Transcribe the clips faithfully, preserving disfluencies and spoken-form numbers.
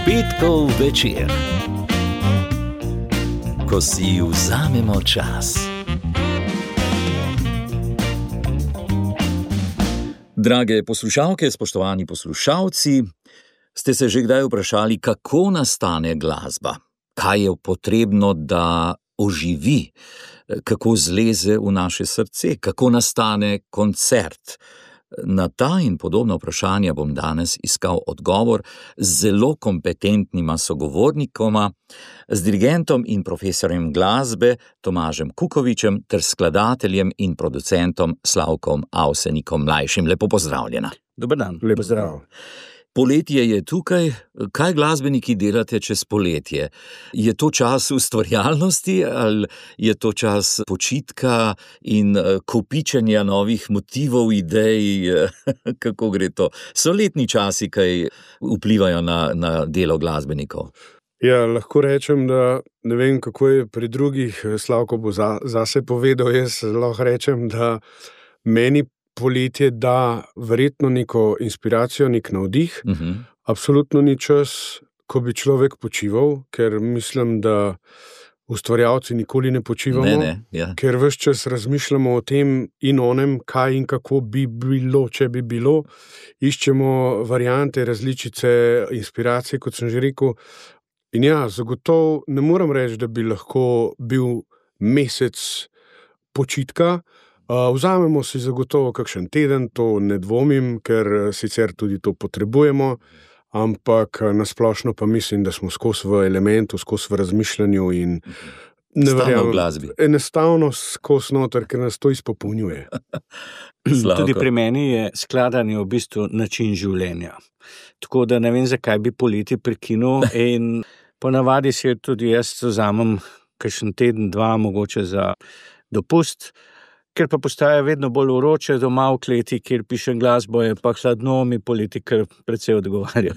Petkov večer, ko si vzamemo čas. Drage poslušalke, spoštovani poslušalci, ste se že kdaj vprašali, kako nastane glasba? Kaj je potrebno, da oživi? Kako zleze v naše srce? Kako nastane koncert? Na ta in podobna vprašanja bom danes iskal odgovor z zelo kompetentnima sogovornikoma, z dirigentom in profesorjem glasbe Tomažem Kukovičem ter skladateljem in producentom Slavkom Avsenikom mlajšim. Lepo pozdravljena. Dober dan. Lepo zdrav. Poletje je tukaj. Kaj glasbeniki delate čez poletje? Je to čas ustvarjalnosti ali je to čas počitka in kopičenja novih motivov, idej? Kako gre to? So letni časi, kaj vplivajo na, na delo glasbenikov? Ja, lahko rečem, da ne vem, kako je pri drugih, Slavko bo za, zase povedal, jaz lahko rečem, da meni poletje da verjetno neko inspiracijo, nek navdih. Uh-huh. Absolutno ni čas, ko bi človek počival, ker mislim, da ustvarjalci nikoli ne počivamo, ne, ne, ja. Ker ves čas razmišljamo o tem in onem, kaj in kako bi bilo, če bi bilo. Iščemo variante, različice, inspiracije, kot sem že rekel. In ja, zagotovo ne moram reči, da bi lahko bil mesec počitka. Vzamemo si zagotovo kakšen teden, to ne dvomim, ker sicer tudi to potrebujemo, ampak nasplošno pa mislim, da smo skozi v elementu, skozi v razmišljanju in ne verjamem, enostavno skozi noter, ker nas to izpopolnjuje. Tudi pri meni je skladanje v bistvu način življenja. Tako da ne vem, zakaj bi poleti prekinil in ponavadi si tudi jaz vzamem kakšen teden, dva, mogoče za dopust. Ker pa postaja vedno bolj vroče doma v kleti, kjer pišem glasbo, je pa hladno, mi poleti kar precej odgovarja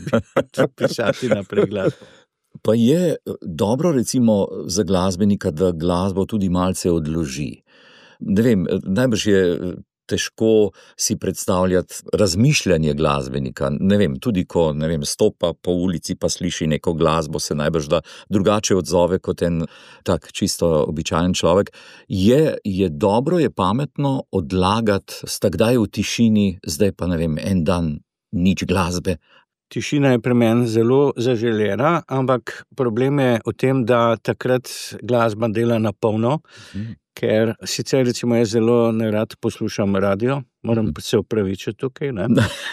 pisati naprej glasbo. Pa je dobro recimo za glasbenika, da glasbo tudi malce odloži. Ne vem, najbrž je težko si predstavljati razmišljanje glasbenika. Ne vem, tudi ko ne vem, stopa po ulici pa sliši neko glasbo, se najbrž da drugače odzove kot en tak čisto običajen človek. Je, je dobro, je pametno odlagati, sta kdaj v tišini, zdaj pa ne vem, en dan nič glasbe. Tišina je pri meni zelo zaželena, ampak problem je v tem, da takrat glasba dela na polno, hmm. ker sicer recimo jaz zelo nerad poslušam radio, moram hmm. se opravičiti tukaj, ne?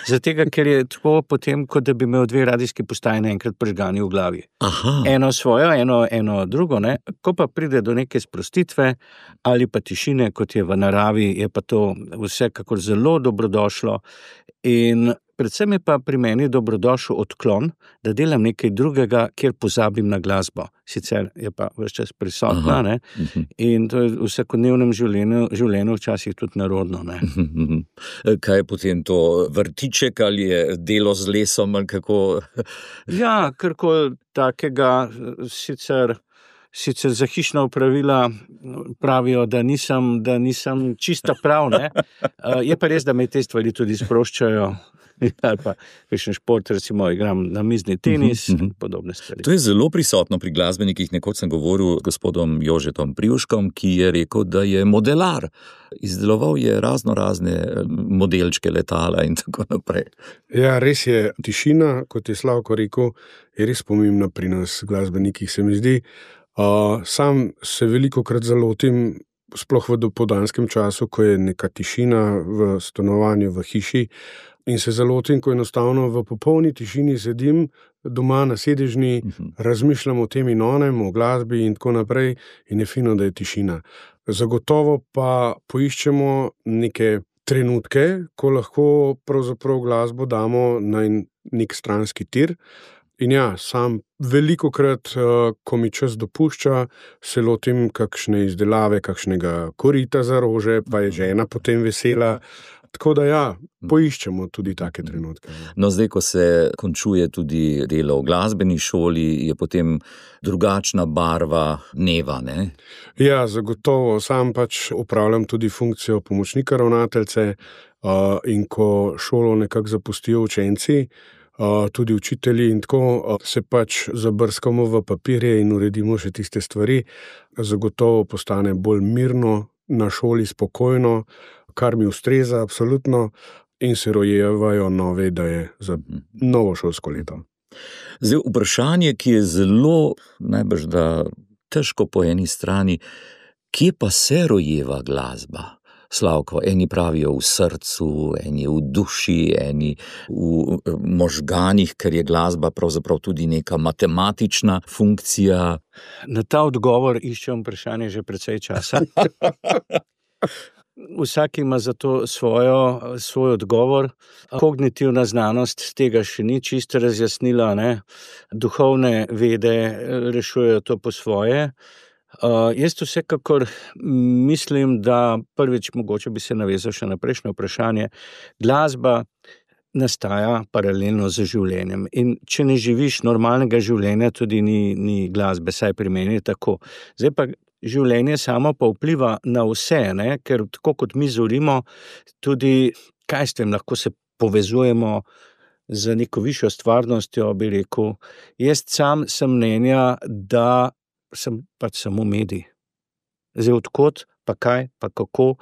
Zatega, ker je tako potem, kot da bi imel dve radijski postaji naenkrat prižgani v glavi. Aha. Eno svojo, eno, eno drugo, ne? Ko pa pride do neke sprostitve ali pa tišine, kot je v naravi, je pa to vsekakor zelo dobrodošlo in predvsem je pa pri meni dobrodošel odklon, da delam nekaj drugega, kjer pozabim na glasbo. Sicer je pa ves čas prisotna, ne? In to je v vsakodnevnem življenju, življenju včasih tudi narodno, ne? Kaj je potem to, vrtiček ali je delo z lesom ali kako? Ja, karkoli takega, sicer, sicer za hišna opravila pravijo, da nisem, da nisem čista prav, ne? Je pa res, da me te stvari tudi sproščajo. Ali pa kakšen šport, recimo igram na mizni tenis in uh-huh. podobne stvari. To je zelo prisotno pri glasbenikih. Nekoč sem govoril s gospodom Jožetom Privškom, ki je rekel, da je modelar. Izdeloval je razno razne modelčke letala in tako naprej. Ja, res je. Tišina, kot je Slavko rekel, je res pomembna pri nas glasbenikih, se mi zdi. Uh, sam se velikokrat zalotim, sploh v dopoldanskem času, ko je neka tišina v stanovanju, v hiši, in se zalotim, ko enostavno v popolni tišini sedim doma na sedežni, uh-huh. razmišljam o tem in onem, o glasbi in tako naprej in je fino, da je tišina. Zagotovo pa poiščemo neke trenutke, ko lahko pravzaprav glasbo damo na nek stranski tir. In ja, sam velikokrat, ko mi čas dopušča, se lotim kakšne izdelave, kakšnega korita za rože, pa je žena potem vesela. Tako da ja, poiščemo tudi take trenutke. No, zdaj, ko se končuje tudi delo v glasbeni šoli, je potem drugačna barva dneva, ne? Ja, zagotovo. Sam pač upravljam tudi funkcijo pomočnika ravnateljce uh, in ko šolo nekako zapustijo učenci, tudi učitelji in tako, se pač zabrskamo v papirje in uredimo še tiste stvari, zagotovo postane bolj mirno, na šoli spokojno, kar mi ustreza absolutno in se rojevajo nove ideje za novo šolsko leto. Zdaj, vprašanje, ki je zelo, najbrž da težko po eni strani, kje pa se rojeva glasba? Slavko, eni pravijo v srcu, eni v duši, eni v možganih, ker je glasba pravzaprav tudi neka matematična funkcija. Na ta odgovor iščem vprašanje že precej časa. Vsak ima za to svojo, svoj odgovor. Kognitivna znanost tega še ni čisto razjasnila, ne? Duhovne vede rešujejo to po svoje. Uh, jaz vsekakor mislim, da prvič mogoče bi se navezal še na prejšnje vprašanje. Glasba nastaja paralelno z življenjem in če ne živiš normalnega življenja, tudi ni, ni glasbe, saj pri meni je tako. Zdaj pa življenje samo pa vpliva na vse, ne? Ker tako kot mi zorimo, tudi, kaj s tem, lahko se povezujemo z neko višjo stvarnostjo, bi rekel. Jaz sam sem mnenja, da sem pač samo medij. Zdaj, odkot, pa kaj, pa kako.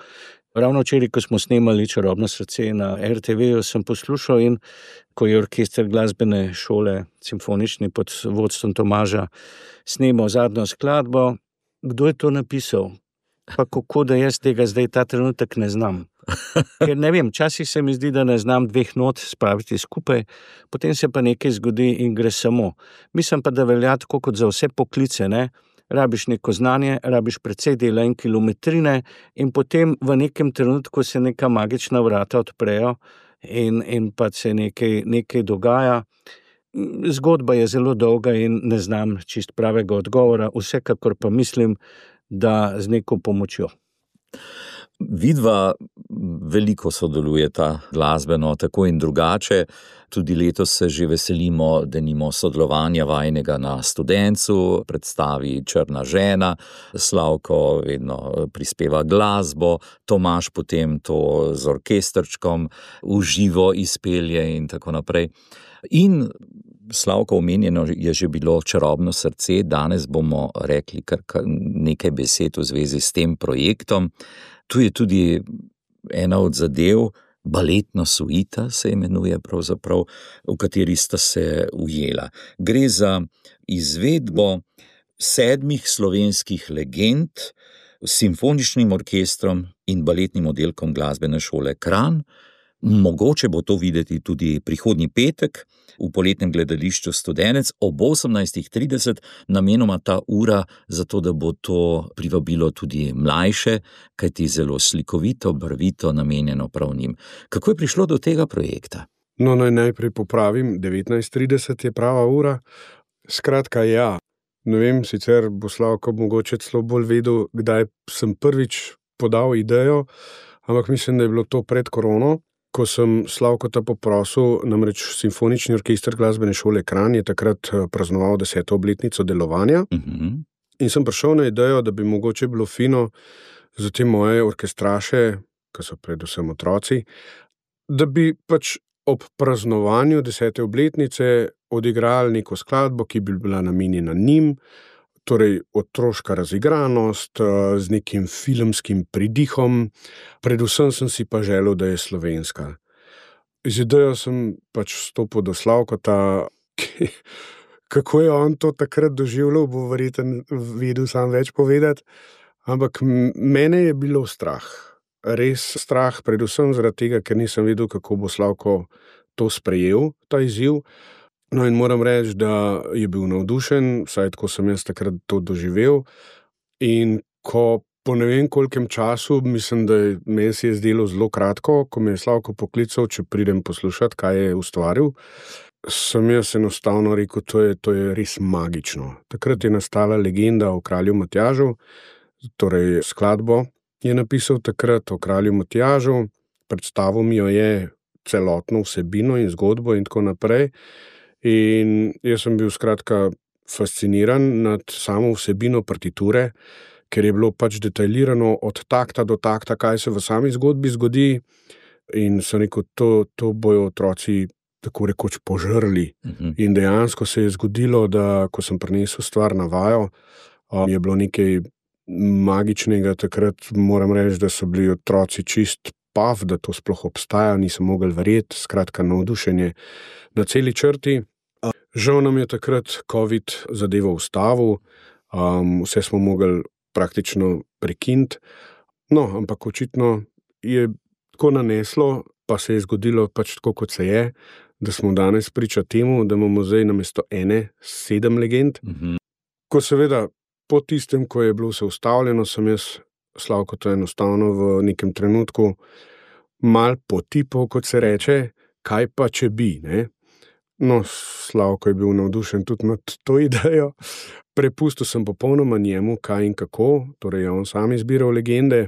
Ravno včeraj, ko smo snemali Čarobno srce na er te veju, sem poslušal in ko je orkester glasbene šole, simfonični pod vodstvom Tomaža, snemal zadnjo skladbo, kdo je to napisal? Pa kako, da jaz tega zdaj ta trenutek ne znam. Ker ne vem, včasih se mi zdi, da ne znam dveh not spraviti skupaj, potem se pa nekaj zgodi in gre samo. Mislim pa, da velja tako kot za vse poklice, ne? Rabiš neko znanje, rabiš precej dela in kilometrine in potem v nekem trenutku se neka magična vrata odprejo in, in pa se nekaj, nekaj dogaja. Zgodba je zelo dolga in ne znam čist pravega odgovora, vsekakor pa mislim, da z neko pomočjo. Vidva veliko sodelujeta glasbeno, tako in drugače. Tudi letos se že veselimo, denimo sodelovanja vajnega na Studencu, predstavi Črna žena, Slavko vedno prispeva glasbo, Tomaž potem to z orkestrčkom v živo izpelje in tako naprej. In Slavko, omenjeno je že bilo Čarobno srce, danes bomo rekli kar nekaj besed v zvezi s tem projektom. Tu je tudi ena od zadev, baletna suita se imenuje pravzaprav, v kateri sta se ujela. Gre za izvedbo sedmih slovenskih legend s simfoničnim orkestrom in baletnim oddelkom glasbene šole Kranj. Mogoče bo to videti tudi prihodnji petek v poletnem gledališču Studenec ob osemnajstih trideset, namenoma ta ura, zato da bo to privabilo tudi mlajše, kajti zelo slikovito, barvito, namenjeno prav njim. Kako je prišlo do tega projekta? No, naj najprej popravim, devetnajst trideset je prava ura. Skratka, ja, ne vem, sicer bo Slavko mogoče celo bolj vedel, kdaj sem prvič podal idejo, ampak mislim, da je bilo to pred korono, ko sem Slavkota poprosil, namreč simfonični orkester glasbene šole Kranj je takrat praznoval deseto obletnico delovanja. Uh-huh. In sem prišel na idejo, da bi mogoče bilo fino za te moje orkestraše, ki so predvsem otroci, da bi pač ob praznovanju desete obletnice odigrali neko skladbo, ki bi bila namenjena njim, torej otroška razigranost z nekim filmskim pridihom, predvsem sem si pa želel, da je slovenska. Z idejo sem pač vstopil do Slavkota, ki, kako je on to takrat doživljal, bo verjetno vedel sam več povedati, ampak mene je bilo strah. Res strah, predvsem zaradi tega, ker nisem vedel, kako bo Slavko to sprejel, ta izziv. No in moram reči, da je bil navdušen, vsaj tako sem jaz takrat to doživel. In ko po ne vem kolikem času, mislim, da je, meni se je zdelo zelo kratko, ko me je Slavko poklical, če pridem poslušati, kaj je ustvaril, sem jaz enostavno rekel, to je, to je res magično. Takrat je nastala legenda o kralju Matjažu, torej skladbo je napisal takrat o kralju Matjažu, predstavil mi jo je celotno vsebino in zgodbo in tako naprej. In jaz sem bil skratka fasciniran nad samo vsebino partiture, ker je bilo pač detaljirano od takta do takta, kaj se v sami zgodbi zgodi in sem rekel, to, to bojo otroci tako rekoč požrli. Uh-huh. In dejansko se je zgodilo, da ko sem prinesel stvar na vajo, um, je bilo nekaj magičnega takrat, moram reči, da so bili otroci čist pav, da to sploh obstaja, nisem mogel verjeti, skratka navdušenje na celi črti. Žal nam je takrat COVID zadevo ustavil, um, vse smo mogli praktično prekiniti, no, ampak očitno je tako naneslo, pa se je zgodilo pač tako, kot se je, da smo danes priča temu, da imamo zdaj namesto ene sedem legend. Mm-hmm. Ko seveda po tistem, ko je bilo vse ustavljeno, sem jaz Slavko to enostavno v nekem trenutku mal potipal, kot se reče, kaj pa če bi, ne? No, Slavko je bil navdušen tudi nad to idejo. Prepustil sem popolnoma njemu, kaj in kako, torej je on sam izbiral legende,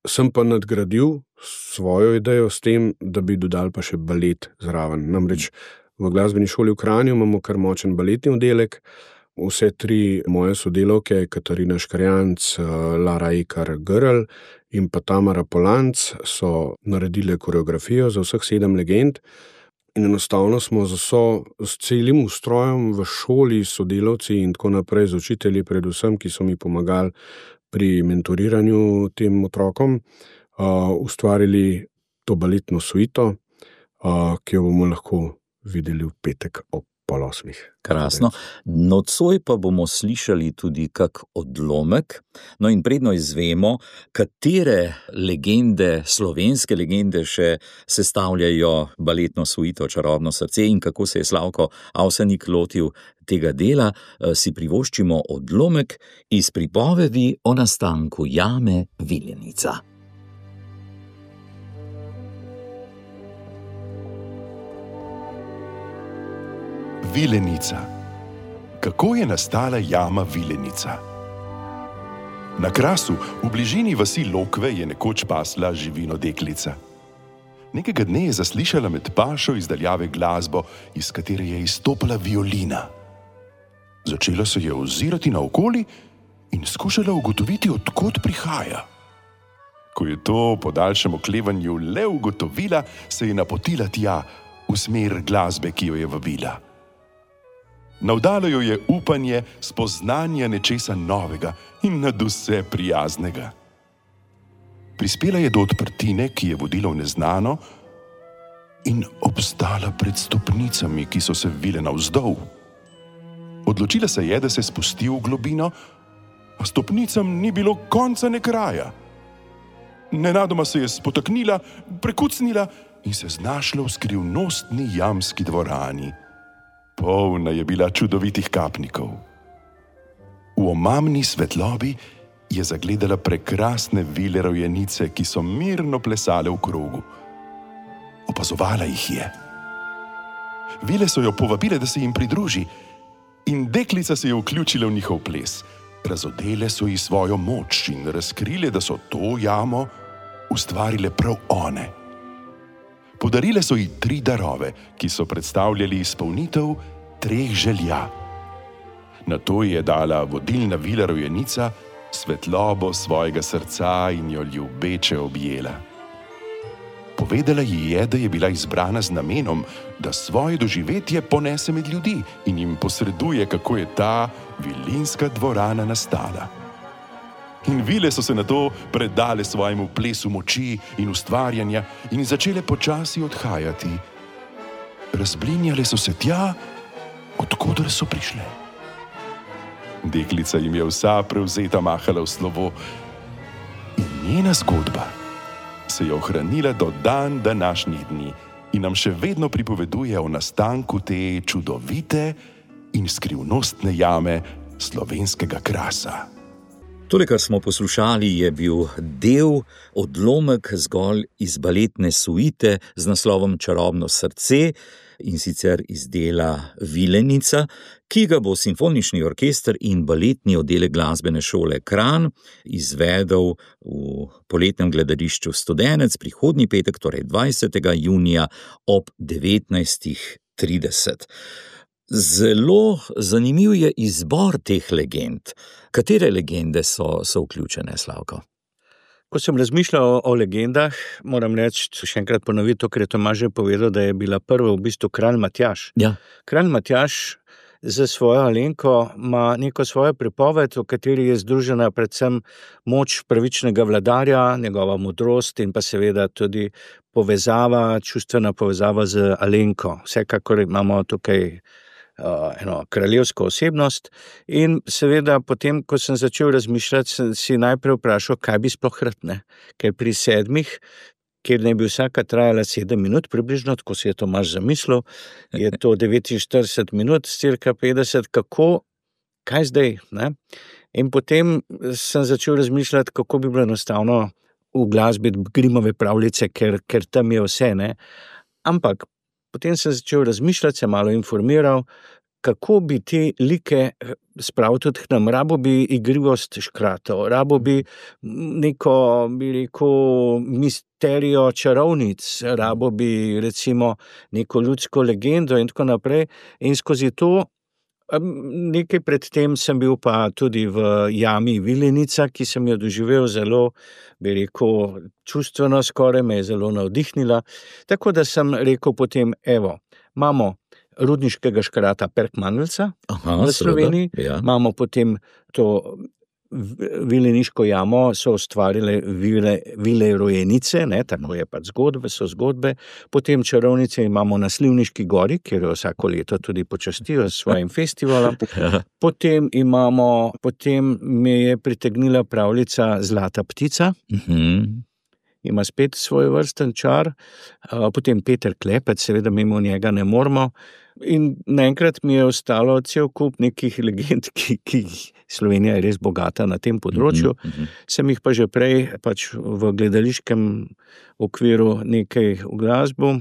sem pa nadgradil svojo idejo s tem, da bi dodal pa še balet zraven. Namreč v glasbeni šoli v Kranju imamo kar močen baletni oddelek, vse tri moje sodelavke, Katarina Škarjanc, Lara Ekar Grl in pa Tamara Polanc, so naredile koreografijo za vseh sedem legend. In enostavno smo z, vso, z celim ustrojem v šoli, sodelavci in tako naprej, z učitelji predvsem, ki so mi pomagali pri mentoriranju tem otrokom, uh, ustvarili to baletno suito, uh, ki jo bomo lahko videli v petek ob pol osmih. Krasno. Nocoj pa bomo slišali tudi kak odlomek, no in predno izvemo, katere legende, slovenske legende še sestavljajo baletno suito Čarobno srce in kako se je Slavko Avsenik lotil tega dela, si privoščimo odlomek iz pripovedi o nastanku jame Vilenica. Vilenica. Kako je nastala jama Vilenica? Na Krasu, v bližini vasi Lokve, je nekoč pasla živino deklica. Nekega dne je zaslišala med pašo iz daljave glasbo, iz katere je izstopala violina. Začela se je ozirati naokoli in skušala ugotoviti, od kod prihaja. Ko je to po daljšem oklevanju le ugotovila, se je napotila tja, v smer glasbe, ki jo je vabila. Navdalo jo je upanje spoznanja nečesa novega in nadvse prijaznega. Prispela je do odprtine, ki je vodila v neznano, in obstala pred stopnicami, ki so se vile navzdol. Odločila se je, da se spusti v globino, a stopnicam ni bilo konca ne kraja. Nenadoma se je spotaknila, prekucnila in se znašla v skrivnostni jamski dvorani. Polna je bila čudovitih kapnikov. V omamni svetlobi je zagledala prekrasne vile rojenice, ki so mirno plesale v krogu. Opazovala jih je. Vile so jo povabile, da se jim pridruži, in deklica se je vključila v njihov ples. Razodele so ji svojo moč in razkrile, da so to jamo ustvarile prav one. Podarile so ji tri darove, ki so predstavljali izpolnitev treh želja. Nato je dala vodilna vila rojenica svetlobo svojega srca in jo ljubeče objela. Povedala ji je, da je bila izbrana z namenom, da svoje doživetje ponese med ljudi in jim posreduje, kako je ta vilinska dvorana nastala. In vile so se nato predale svojemu plesu moči in ustvarjanja in začele počasi odhajati. Razblinjale so se tja, odkoder so prišle. Deklica jim je vsa prevzeta mahala v slovo in njena zgodba se je ohranila do dan današnjih dni in nam še vedno pripoveduje o nastanku te čudovite in skrivnostne jame slovenskega Krasa. Tole, kar smo poslušali, je bil del, odlomek zgolj iz baletne suite z naslovom Čarobno srce, in sicer iz dela Vilenica, ki ga bo simfonični orkester in baletni oddelek glasbene šole Kranj izvedel v poletnem gledališču Studenec prihodnji petek, torej dvajsetega junija ob devetnajstih trideset. Zelo zanimiv je izbor teh legend. Katere legende so, so vključene, Slavko? Ko sem razmišljal o, o legendah, moram reči, še enkrat ponoviti to, ker je Tomaž že povedal, da je bila prva v bistvu kralj Matjaž. Ja. Kralj Matjaž za svojo Alenko ima neko svojo pripoved, v kateri je združena predvsem moč pravičnega vladarja, njegova modrost in pa seveda tudi povezava, čustvena povezava z Alenko. Vsekakor imamo tukaj uh, eno kraljevsko osebnost in seveda potem, ko sem začel razmišljati, sem si najprej vprašal, kaj bi sploh rad, ne? Ker pri sedmih, kjer ne bi vsaka trajala sedem minut približno, tako si je Tomaž zamislil, je to devetinštirideset minut, cirka petdeset, kako, kaj zdaj, ne? In potem sem začel razmišljati, kako bi bilo enostavno v glasbi Grimmove pravljice, ker, ker tam je vse, ne? Ampak potem sem začel razmišljati, se malo informiral, kako bi te like spravil tudi k nam. Rabo bi igrivost škratov, rabo bi neko, bi rekel, misterijo čarovnic, rabo bi recimo neko ljudsko legendo in tako naprej. In skozi to, nekaj predtem sem bil pa tudi v jami Vilenica, ki sem jo doživel zelo, bi rekel, čustveno skoraj, me je zelo navdihnila. Tako da sem rekel potem, evo, imamo rudniškega škrata Perkmanelca v Sloveniji, ja. Imamo potem to vileniško jamo, so ustvarile vile, vile rojenice, ne, tako je pač zgodbe, so zgodbe, potem čarovnice imamo na Slivniški gori, kjer jo vsako leto tudi počastijo s svojim festivalom, potem imamo, potem me je pritegnila pravljica Zlata ptica, Mhm. ima spet svoj vrsten čar, potem Peter Klepec, seveda mimo njega ne moramo, in naenkrat mi je ostalo cel kup nekih legend, ki, ki Slovenija je res bogata na tem področju, Mhm. sem jih pa že prej pač v gledališkem okviru nekaj v glasbo,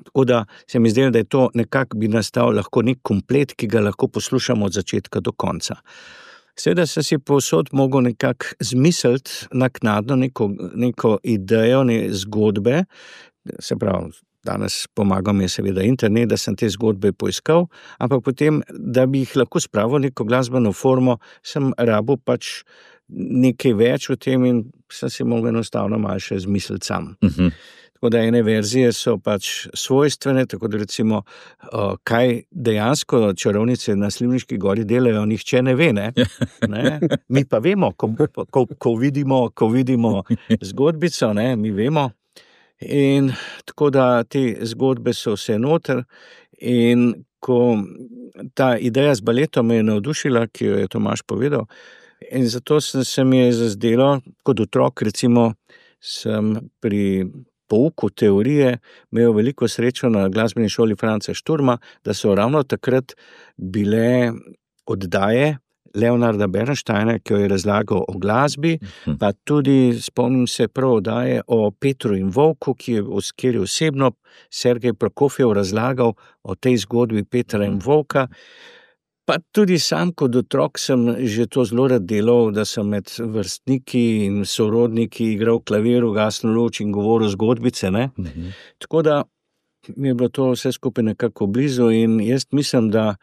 tako da se mi zdelo, da je to nekako bi nastal lahko nek komplet, ki ga lahko poslušamo od začetka do konca. Seveda sem si povsod mogel nekako zmisliti naknadno neko, neko idejo, ne zgodbe, se pravi, danes pomagam je seveda internet, da sem te zgodbe poiskal, ampak potem, da bi jih lahko spravil neko glasbeno formo, sem rabil pač nekaj več o tem in sem si mogel enostavno malo še zmisliti sam. Mhm. Tako da ene verzije so pač svojstvene, tako da recimo, kaj dejansko čarovnice na Slivniški gori delajo, nihče ne ve, ne? Ne? Mi pa vemo, ko, ko, ko vidimo, ko vidimo zgodbico, ne? Mi vemo. In tako da te zgodbe so vse noter in ko ta ideja z baletom me je navdušila, ki jo je Tomaž povedal, in zato sem se mi je zazdelo, kot otrok recimo sem pri pouku teorije imel veliko srečo na glasbeni šoli Franca Šturma, da so ravno takrat bile oddaje Leonarda Bernsteina, ki jo je razlagal o glasbi, pa tudi spomnim se prav oddaje o Petru in Volku, ki je, kjer je osebno Sergej Prokofjev razlagal o tej zgodbi Petra in Volka. Pa tudi sam kot otrok sem že to zelo rad delal, da sem med vrstniki in sorodniki igral klavir, ugasnil luč in govoril zgodbice, ne. Mhm. Tako da mi je bilo to vse skupaj nekako blizu in jaz mislim, da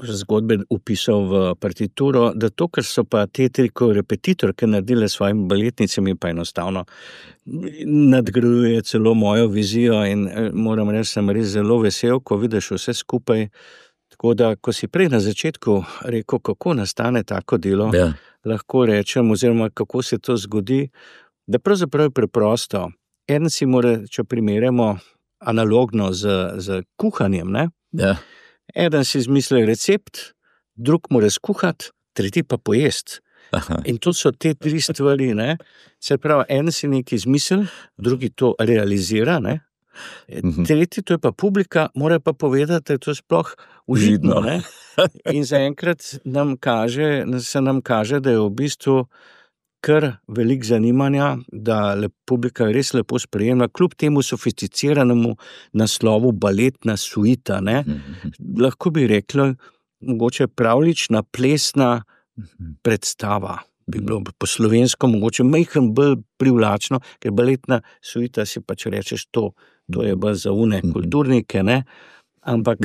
zgodbe upisal v partituro, da to, kar so pa te tri repetitorke naredile s svojimi baletnicami, pa enostavno nadgrajuje celo mojo vizijo in moram reči, sem res zelo vesel, ko vidiš vse skupaj. Tako da, ko si prej na začetku rekel, kako nastane tako delo, Ja. lahko rečem, oziroma kako se to zgodi, da pravzaprav je preprosto. En si mora, če primerjamo analogno z, z kuhanjem, ne? Ja. Eden si izmisli recept, drug mora skuhati, tretji pa pojesti. Aha. In to so te tri stvari, ne? Se pravi, en si nekaj izmisli, drugi to realizira, ne? Mhm. Tretji, to je pa publika, mora pa povedati, da je to sploh užitno, Užitno. ne? In zaenkrat nam kaže, se nam kaže, da je v bistvu kar veliko zanimanja, da le, publika res lepo sprejema, kljub temu sofisticiranemu naslovu baletna suita, ne? Mhm. Lahko bi rekla, mogoče pravlična, plesna predstava. Bi bilo po slovensko mogoče majhen bolj privlačno, ker baletna suita si pač rečeš to, to je bolj za une kulturnike, ne? Ampak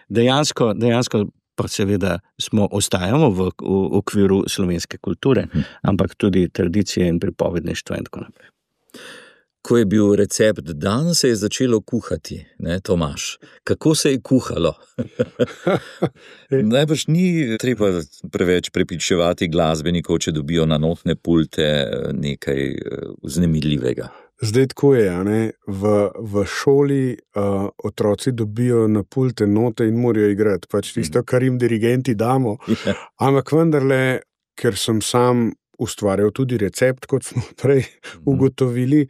dejansko, dejansko pa seveda smo, ostajamo v, v okviru slovenske kulture, ampak tudi tradicije in pripovedništva in tako naprej. Ko je bil recept dan, se je začelo kuhati, ne, Tomaž? Kako se je kuhalo? Najbrž ni treba preveč prepričevati glasbenikov, če dobijo na notne pulte nekaj vznemirljivega. Zdaj tako je, ne? V, v šoli uh, otroci dobijo na pulte note in morajo igrati, pač tisto, kar jim dirigenti damo. Ampak vendarle, ker sem sam ustvarjal tudi recept, kot smo prej ugotovili,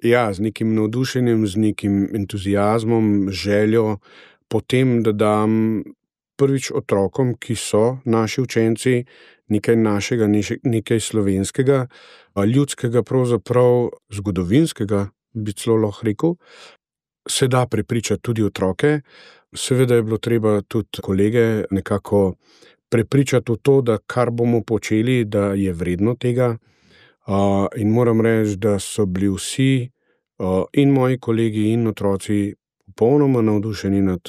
ja, z nekim navdušenjem, z nekim entuzijazmom, željo, potem, da dam prvič otrokom, ki so naši učenci, nekaj našega, nekaj slovenskega, ljudskega, pravzaprav zgodovinskega, bi celo lahko rekel, se da prepričati tudi otroke. Seveda je bilo treba tudi kolege nekako prepričati v to, da kar bomo počeli, da je vredno tega. Uh, in moram reči, da so bili vsi uh, in moji kolegi in otroci popolnoma navdušeni nad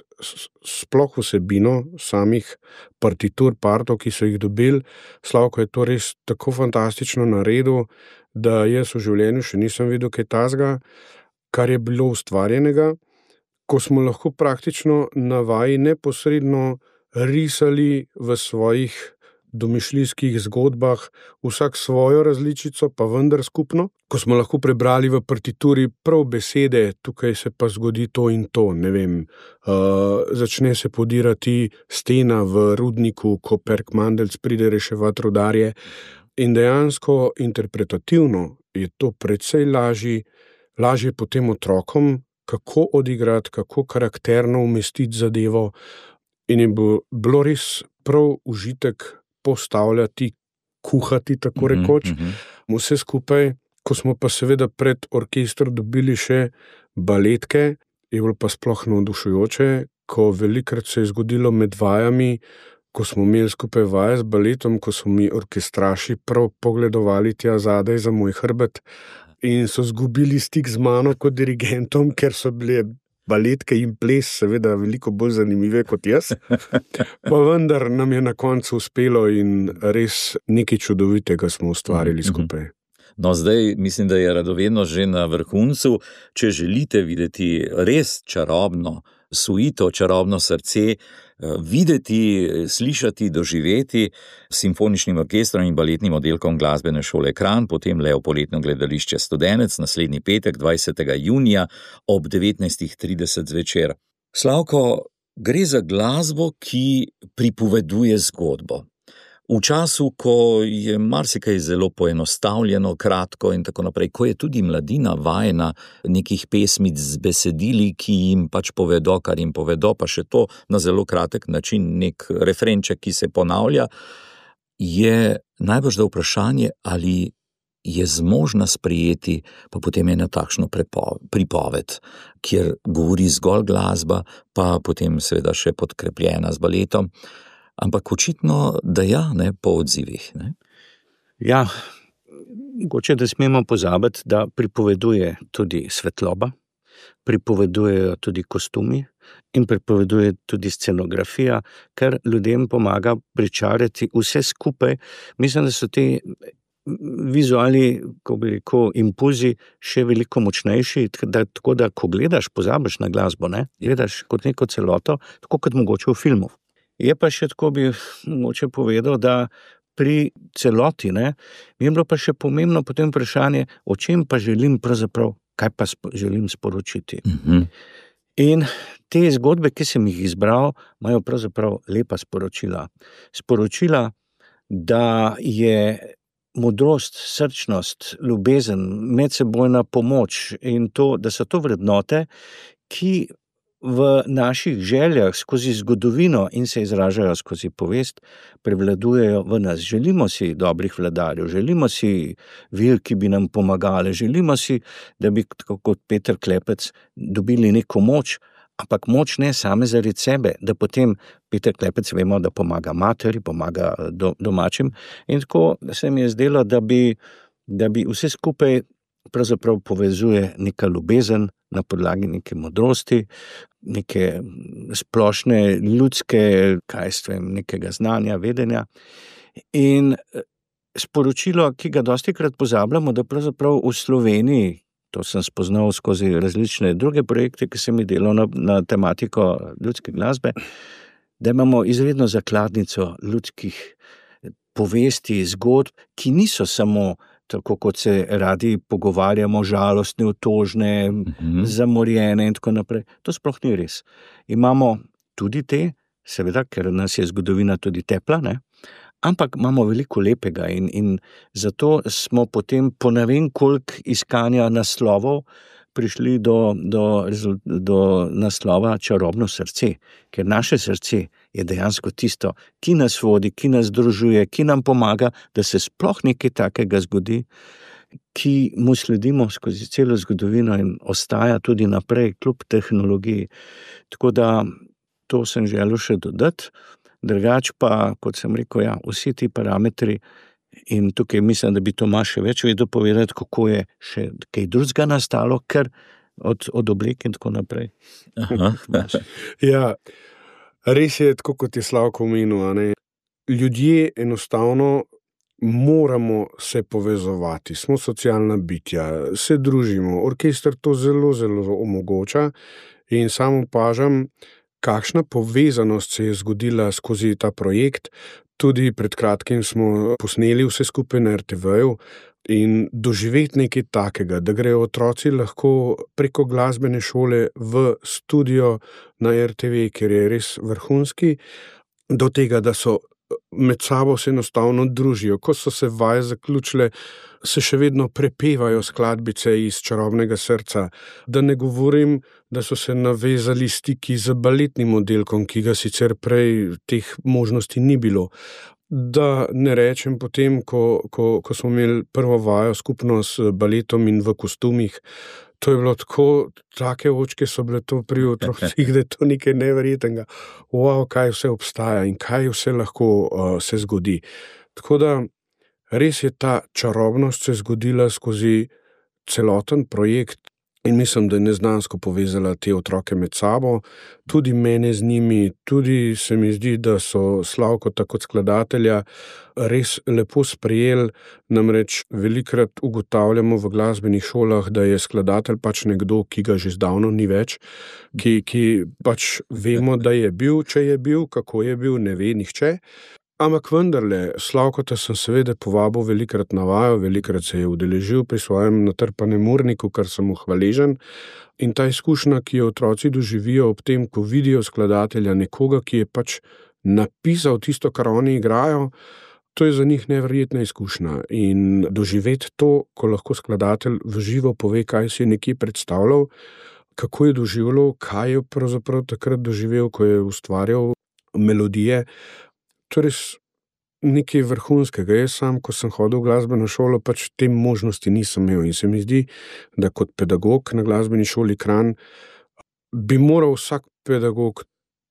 sploh vsebino samih partitur, partov, ki so jih dobili. Slavko je to res tako fantastično naredil, da jaz v življenju še nisem videl kaj tazga, kar je bilo ustvarjenega, ko smo lahko praktično na vaji neposredno risali v svojih domišljijskih zgodbah, vsak svojo različico, pa vendar skupno. Ko smo lahko prebrali v partituri prav besede, tukaj se pa zgodi to in to, ne vem, uh, začne se podirati stena v rudniku, ko Perk Mandelc pride reševati rudarje. In dejansko interpretativno je to precej lažje, lažje potem otrokom, kako odigrati, kako karakterno umestiti zadevo. In je bilo res prav užitek postavljati, kuhati, tako rekoč. Mm-hmm. Vse skupaj, ko smo pa seveda pred orkestr dobili še baletke, je bilo pa sploh navdušujoče, ko velikrat se je zgodilo med vajami, ko smo imeli skupaj vaje z baletom, ko so mi orkestraši prav pogledovali tja zadaj za moj hrbet in so zgubili stik z mano kot dirigentom, ker so bile baletke in ples seveda veliko bolj zanimive kot jaz, pa vendar nam je na koncu uspelo in res nekaj čudovitega smo ustvarili skupaj. No, zdaj mislim, da je radovednost že na vrhuncu. Če želite videti res čarobno suito, čarobno srce, videti, slišati, doživeti s simfoničnim orkestrom in baletnim oddelkom Glasbene šole Kranj, potem le v poletno gledališče Studenec, naslednji petek, dvajsetega junija ob devetnajstih trideset zvečer. Slavko, gre za glasbo, ki pripoveduje zgodbo. V času, ko je marsikaj zelo poenostavljeno, kratko in tako naprej, ko je tudi mladina vajena nekih pesmic z besedili, ki jim pač povedo, kar jim povedo, pa še to na zelo kratek način, nek refrenček, ki se ponavlja, je najbrž da vprašanje, ali je zmožna sprejeti pa potem ena takšno pripoved, kjer govori zgolj glasba, pa potem seveda še podkrepljena z baletom. Ampak očitno, da ja, ne, po odzivih. Ne? Ja, mogoče, da smemo pozabiti, da pripoveduje tudi svetloba, pripovedujejo tudi kostumi in pripoveduje tudi scenografija, kar ljudem pomaga pričarati vse skupaj. Mislim, da so ti vizualni, ko bi rekel, impulzi še veliko močnejši, da, tako da, ko gledaš, pozabiš na glasbo, ne? Gledaš kot neko celoto, tako kot mogoče v filmu. Je pa še tako bi mogoče povedal, da pri celoti, ne, mi je bilo pa še pomembno potem vprašanje, o čem pa želim pravzaprav, kaj pa spo, želim sporočiti. Mm-hmm. In te zgodbe, ki sem jih izbral, imajo pravzaprav lepa sporočila. Sporočila, da je modrost, srčnost, ljubezen, medsebojna pomoč in to, da so to vrednote, ki v naših željah skozi zgodovino in se izražajo skozi povest, prevladujejo v nas. Želimo si dobrih vladarjev, želimo si vil, ki bi nam pomagali, želimo si, da bi kot Peter Klepec dobili neko moč, ampak moč ne same zaradi sebe, da potem Peter Klepec vemo, da pomaga materi, pomaga do, domačim. In tako se mi je zdelo, da bi, da bi vse skupaj pravzaprav povezuje neka ljubezen, na podlagi neke modrosti, neke splošne ljudske, kaj svem, nekega znanja, vedenja. In sporočilo, ki ga dostikrat pozabljamo, da pravzaprav v Sloveniji, to sem spoznal skozi različne druge projekte, ki sem jih delal na, na tematiko ljudske glasbe, da imamo izredno zakladnico ljudskih povesti, zgodb, ki niso samo tako, kot se radi pogovarjamo, žalostne, otožne, mm-hmm. zamorjene in tako naprej. To sploh ni res. Imamo tudi te, seveda, ker nas je zgodovina tudi tepla, ne? Ampak imamo veliko lepega in, in zato smo potem po ne vem koliko iskanja naslovov prišli do, do, do naslova Čarobno srce, ker naše srce je dejansko tisto, ki nas vodi, ki nas združuje, ki nam pomaga, da se sploh nekaj takega zgodi, ki mu sledimo skozi celo zgodovino in ostaja tudi naprej, kljub tehnologiji. Tako da to sem želel še dodati. Drugač pa, kot sem rekel, ja, vsi ti parametri in tukaj mislim, da bi Tomaž še več vedel povedati, kako je še kaj drugega nastalo, ker od, od oblek in tako naprej. Aha, ja, res je, tako kot je Slavko omenil, a ne? Ljudje enostavno moramo se povezovati, smo socialna bitja, se družimo, orkester to zelo, zelo omogoča in sam opažam, kakšna povezanost se je zgodila skozi ta projekt. Tudi pred kratkim smo posneli vse skupaj na er te veju in doživeti nekaj takega, da grejo otroci lahko preko glasbene šole v studio na er te ve, ker je res vrhunski, do tega, da so med sabo se enostavno družijo. Ko so se vaje zaključile, se še vedno prepevajo skladbice iz Čarobnega srca. Da ne govorim, da so se navezali stiki z baletnim oddelkom, ki ga sicer prej teh možnosti ni bilo. Da ne rečem potem, ko, ko, ko smo imeli prvo vajo skupno s baletom in v kostumih, to je bilo tako, take očke so bile to pri otrocih, da je to nekaj neverjetnega. Wow, kaj vse obstaja in kaj vse lahko uh, se zgodi. Tako da res je ta čarobnost se zgodila skozi celoten projekt in mislim, da je neznansko povezala te otroke med sabo, tudi mene z njimi, tudi se mi zdi, da so Slavko tako skladatelja res lepo sprejeli, namreč velikrat ugotavljamo v glasbenih šolah, da je skladatelj pač nekdo, ki ga že zdavno ni več, ki, ki pač vemo, da je bil, če je bil, kako je bil, ne ve nihče. Ampak vendarle, Slavkota sem seveda povabil velikrat na vajo, velikrat se je udeležil pri svojem natrpanem urniku, kar sem mu hvaležen. In ta izkušnja, ki jo otroci doživijo ob tem, ko vidijo skladatelja nekoga, ki je pač napisal tisto, kar oni igrajo, to je za njih neverjetna izkušnja. In doživeti to, ko lahko skladatelj v živo pove, kaj si je nekje predstavljal, kako je doživljal, kaj je pravzaprav takrat doživel, ko je ustvarjal melodije, to je res nekaj vrhunskega. Jaz sam, ko sem hodil v glasbeno šolo, pač te možnosti nisem imel in se mi zdi, da kot pedagog na glasbeni šoli Kranj bi moral vsak pedagog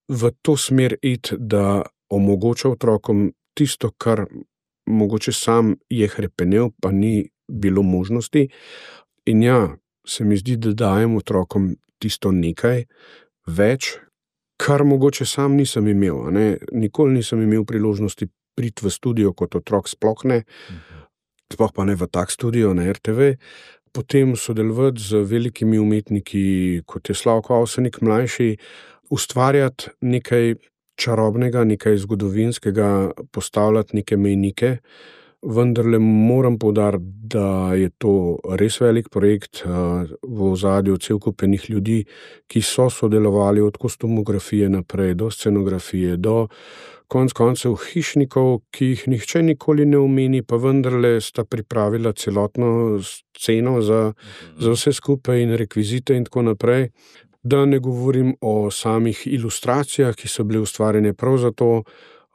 v to smer iti, da omogoča otrokom tisto, kar mogoče sam je hrepenel, pa ni bilo možnosti. In ja, se mi zdi, da dajem otrokom tisto nekaj več, kar mogoče sam nisem imel. Ne? Nikoli nisem imel priložnosti priti v studio kot otrok, sploh ne, sploh pa ne v tak studio na er te ve. Potem sodelovati z velikimi umetniki, kot je Slavko Avsenik mlajši, ustvarjati nekaj čarobnega, nekaj zgodovinskega, postavljati neke mejnike. Vendarle moram poudariti, da je to res velik projekt, v ozadju cel kup enih ljudi, ki so sodelovali od kostumografije naprej, do scenografije, do konec koncev hišnikov, ki jih nihče nikoli ne omeni, pa vendarle sta pripravila celotno sceno za, za vse skupaj in rekvizite in tako naprej. Da ne govorim o samih ilustracijah, ki so bile ustvarjene prav za to.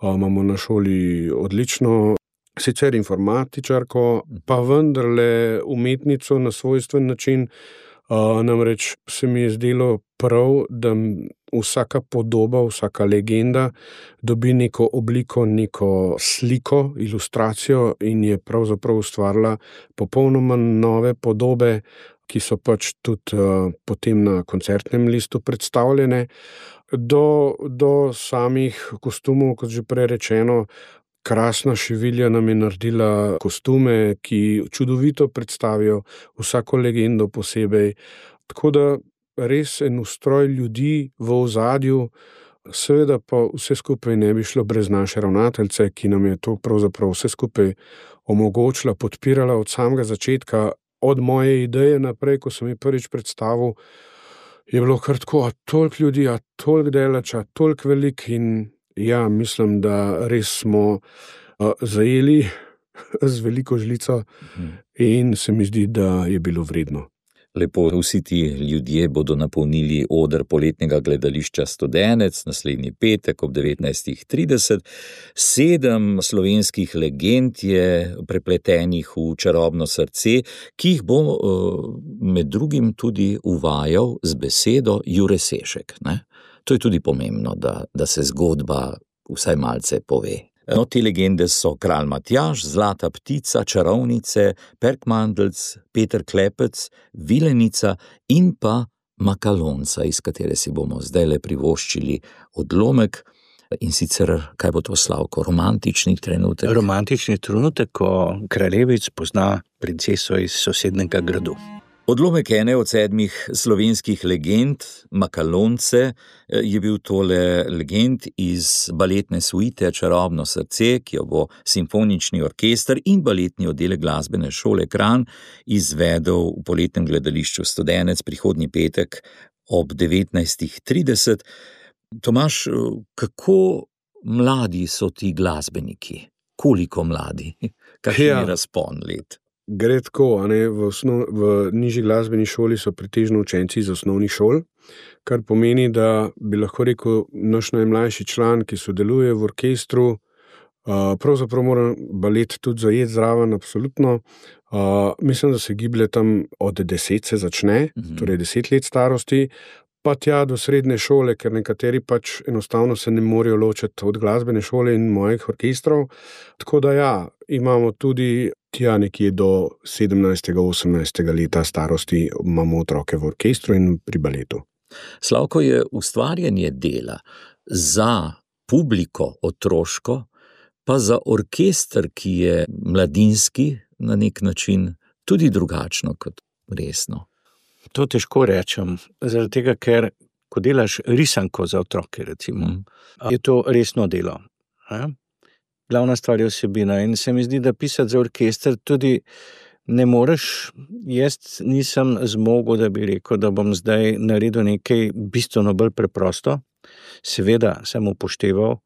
Imamo na šoli odlično sicer informatičarko, pa vendarle umetnico na svojstven način, uh, namreč se mi je zdelo prav, da vsaka podoba, vsaka legenda dobi neko obliko, neko sliko, ilustracijo in je pravzaprav ustvarila popolnoma nove podobe, ki so pač tudi uh, potem na koncertnem listu predstavljene, do, do samih kostumov, kot že prej rečeno. Krasna šivilja nam je naredila kostume, ki čudovito predstavijo vsako legendo posebej. Tako da res en ustroj ljudi v ozadju, seveda pa vse skupaj ne bi šlo brez naše ravnateljice, ki nam je to pravzaprav vse skupaj omogočila, podpirala od samega začetka, od moje ideje naprej, ko sem ji prvič predstavil, je bilo kar tako, a toliko ljudi, a toliko delač, a toliko velik in ja, mislim, da res smo uh, zajeli z veliko žlico in se mi zdi, da je bilo vredno. Lepo, vsi ti ljudje bodo napolnili oder poletnega gledališča Studenec naslednji petek ob devetnajstih trideset. Sedem slovenskih legend je prepletenih v čarobno srce, ki jih bo med drugim tudi uvajal z besedo Jure Sešek. Ne? To je tudi pomembno, da, da se zgodba vsaj malce pove. No, te legende so Kralj Matjaž, Zlata ptica, Čarovnice, Perkmandeljc, Peter Klepec, Vilenica in pa Makalonca, iz katere si bomo zdajle privoščili odlomek. In sicer, kaj bo to, Slavko, romantični trenutek? Romantični trenutek, ko kraljevic pozna princeso iz sosednega gradu. Odlomek ene od sedmih slovenskih legend, Makalonce, je bil tole legend iz baletne suite Čarobno srce, ki jo bo simfonični orkester in baletni oddelek glasbene šole Kranj izvedel v poletnem gledališču Studenec prihodnji petek ob devetnajstih trideset. Tomaž, kako mladi so ti glasbeniki? Koliko mladi? Kakšen je razpon let? Gre tako, a ne, v, osnov, v nižji glasbeni šoli so pretežno učenci iz osnovnih šol, kar pomeni, da bi lahko rekel naš najmlajši član, ki sodeluje v orkestru, uh, pravzaprav mora balet tudi zajeti zraven, absolutno. Uh, mislim, da se giblje tam od deset se začne, mm-hmm. torej deset let starosti, pa tja do srednje šole, ker nekateri pač enostavno se ne morejo ločiti od glasbene šole in mojih orkestrov. Tako da ja, imamo tudi tja nekje do sedemnajstega, osemnajstega leta starosti imamo otroke v orkestru in pri baletu. Slavko, je ustvarjanje dela za publiko otroško, pa za orkester, ki je mladinski na nek način, tudi drugačno kot resno. To težko rečem, zaradi tega, ker ko delaš risanko za otroke, recimo, mm. je to resno delo. Ne? Glavna stvar je vsebina in se mi zdi, da pisati za orkester tudi ne moreš. Jaz nisem zmogel, da bi rekel, da bom zdaj naredil nekaj bistveno bolj preprosto. Seveda sem upošteval,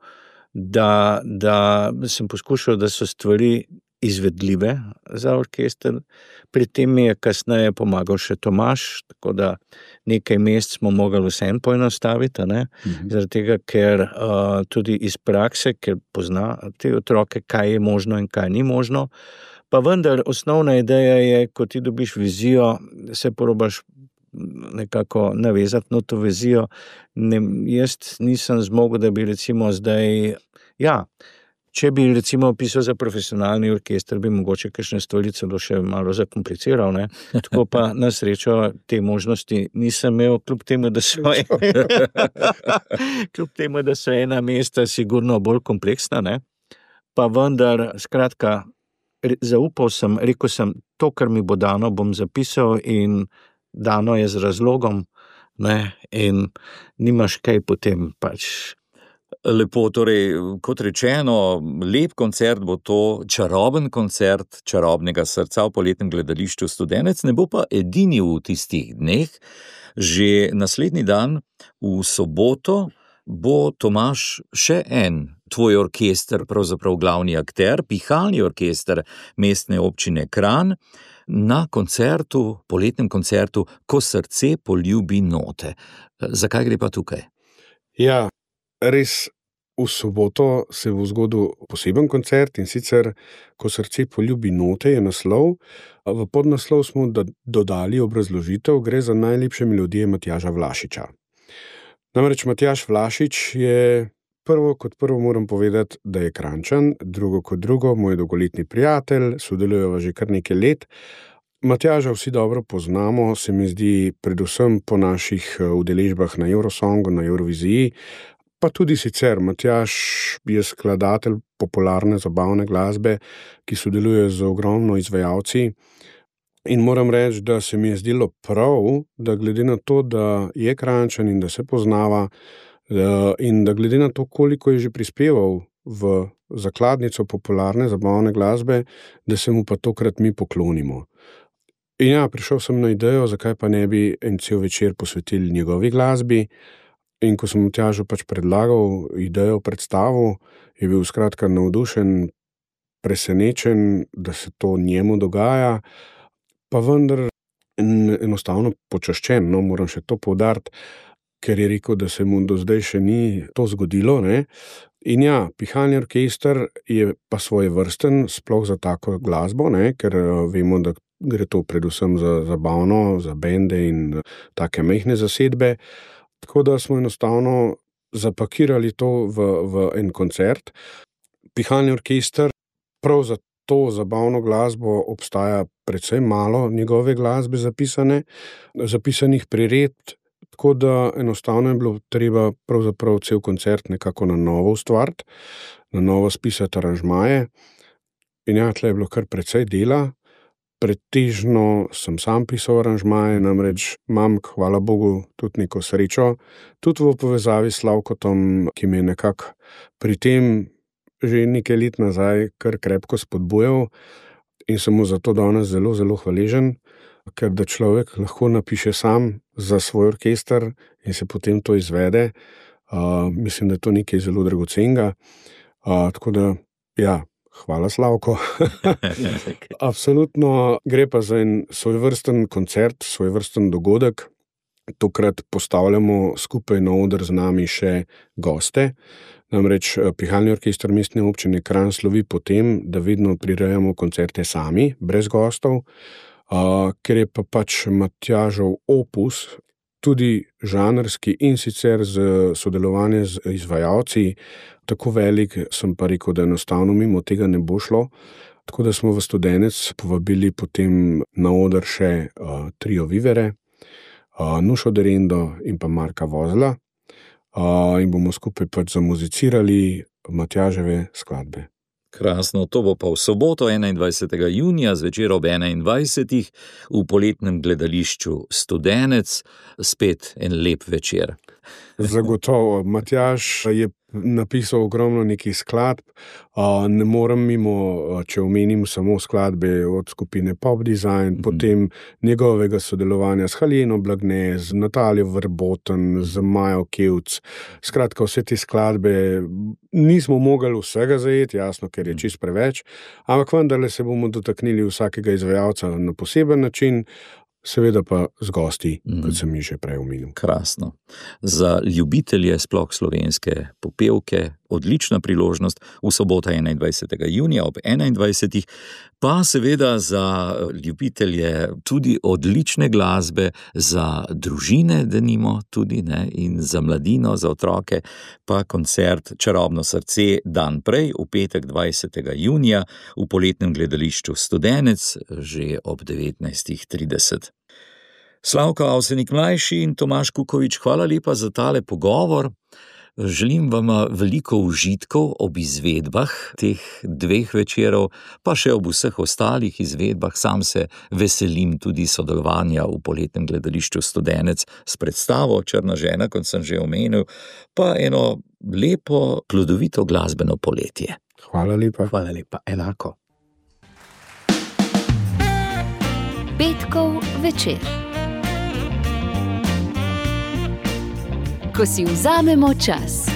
da, da sem poskušal, da so stvari izvedljive za orkester. Pri tem mi je kasneje pomagal še Tomaž, tako da nekaj mest smo mogli vsem poenostaviti, ne? Mm-hmm. Zaradi tega, ker uh, tudi iz prakse, ker pozna te otroke, kaj je možno in kaj ni možno. Pa vendar, osnovna ideja je, ko ti dobiš vizijo, se probaš nekako navezati na to vizijo. Ne, jaz nisem zmogel, da bi recimo zdaj, ja, če bi recimo pisal za profesionalni orkester, bi mogoče kakšne stvari celo še malo zakompliciral, ne? Tako pa na srečo te možnosti nisem imel, kljub temu, da so kljub temu, da so ena mesta sigurno bolj kompleksna, ne? Pa vendar, skratka, zaupal sem, rekel sem, to, kar mi bo dano, bom zapisal in dano je z razlogom, ne? In nimaš kaj potem pač. Lepo, torej, kot rečeno, lep koncert bo to, čaroben koncert Čarobnega srca v poletnem gledališču Studenec, ne bo pa edini v tistih dneh. Že naslednji dan, v soboto, bo Tomaž še en tvoj orkester, pravzaprav glavni akter, pihalni orkester Mestne občine Kranj, na koncertu, poletnem koncertu Ko srce poljubi note. Zakaj gre pa tukaj? Ja, res, v soboto se bo zgodil poseben koncert in sicer Ko srce poljubi note je naslov. V podnaslov smo dodali obrazložitev, gre za najlepše melodije Matjaža Vlašiča. Namreč Matjaž Vlašič je prvo kot prvo moram povedati, da je Kranjčan, drugo kot drugo moj dolgoletni prijatelj, sodelujeva že kar nekaj let. Matjaža vsi dobro poznamo, se mi zdi predvsem po naših udeležbah na Eurosongu, na Euroviziji, pa tudi sicer. Matjaž je skladatelj popularne zabavne glasbe, ki sodeluje z ogromno izvajalci. In moram reči, da se mi je zdelo prav, da glede na to, da je Kranjčan in da se poznava, in da glede na to, koliko je že prispeval v zakladnico popularne zabavne glasbe, da se mu pa tokrat mi poklonimo. In ja, prišel sem na idejo, zakaj pa ne bi en cel večer posvetili njegovi glasbi. In ko sem Matjažu pač predlagal idejo, predstavu, je bil skratka navdušen, presenečen, da se to njemu dogaja, pa vendar enostavno počaščen, no, moram še to poudariti, ker je rekel, da se mu do zdaj še ni to zgodilo, ne. In ja, Pihalni orkester je pa svojevrsten, sploh za tako glasbo, ne, ker vemo, da gre to predvsem za zabavno, za bende in take majhne zasedbe. Tako da smo enostavno zapakirali to v, v en koncert. Pihalni orkester, prav za to zabavno glasbo obstaja precej malo njegove glasbe zapisane, zapisanih prired, tako da enostavno je bilo treba pravzaprav cel koncert nekako na novo ustvariti, na novo spisati aranžmaje. In ja, tle je bilo kar precej dela. Pretežno sem sam pisal aranžmaje, namreč imam, hvala Bogu, tudi neko srečo, tudi v povezavi s Slavkotom, ki me je nekako pri tem že nekaj let nazaj kar krepko spodbujal in sem mu zato danes zelo, zelo hvaležen, ker da človek lahko napiše sam za svoj orkester in se potem to izvede. Uh, mislim, da je to nekaj zelo dragocenega. Uh, tako da, ja, hvala Slavko. Absolutno gre pa za en svojvrsten koncert, svojvrsten dogodek. Tokrat postavljamo skupaj na oder z nami še goste. Namreč Pihalni orkester Mestne občine Kranj slovi po tem, da vedno prirejamo koncerte sami, brez gostov, uh, ker je pa pač Matjažov opus tudi žanrski in sicer z sodelovanje z izvajalci tako velik, sem pa rekel, da enostavno mimo tega ne bo šlo. Tako da smo v Studenec povabili potem na oder še uh, trio Vivere, uh, Nušo Derendo in pa Marka Vozla. Uh, in bomo skupaj pač zamuzicirali Matjaževe skladbe. Krasno, to bo pa v soboto enaindvajsetega junija zvečer ob enaindvajsetih v poletnem gledališču Studenec, spet en lep večer. Zagotovo. Matjaž je napisal ogromno nekih skladb, ne morem mimo, če omenim samo skladbe od skupine Pop Design, mm-hmm. potem njegovega sodelovanja s Haljeno Blagne, z Natalijo Verboten, z Majo Kevc. Skratka, vse te skladbe nismo mogli vsega zajeti, jasno, ker je čist preveč, ampak vendarle se bomo dotaknili vsakega izvajalca na poseben način, seveda pa z gosti, mm. kot sem jih že prej omenil. Krasno. Za ljubitelje sploh slovenske popevke odlična priložnost v soboto enaindvajsetega junija ob enaindvajsetih, pa seveda za ljubitelje tudi odlične glasbe, za družine denimo tudi, ne, in za mladino, za otroke, pa koncert Čarobno srce dan prej, v petek dvajsetega junija v poletnem gledališču Studenec, že ob devetnajstih trideset. Slavko Avsenik mlajši in Tomaž Kukovič, hvala lepa za tale pogovor. Želim vam veliko užitkov ob izvedbah teh dveh večerov, pa še ob vseh ostalih izvedbah. Sam se veselim tudi sodelovanja v poletnem gledališču Studenec s predstavo Črna žena, kot sem že omenil, pa eno lepo, plodovito glasbeno poletje. Hvala lepa. Hvala lepa, enako. Petkov večer. Ko si vzamemo čas.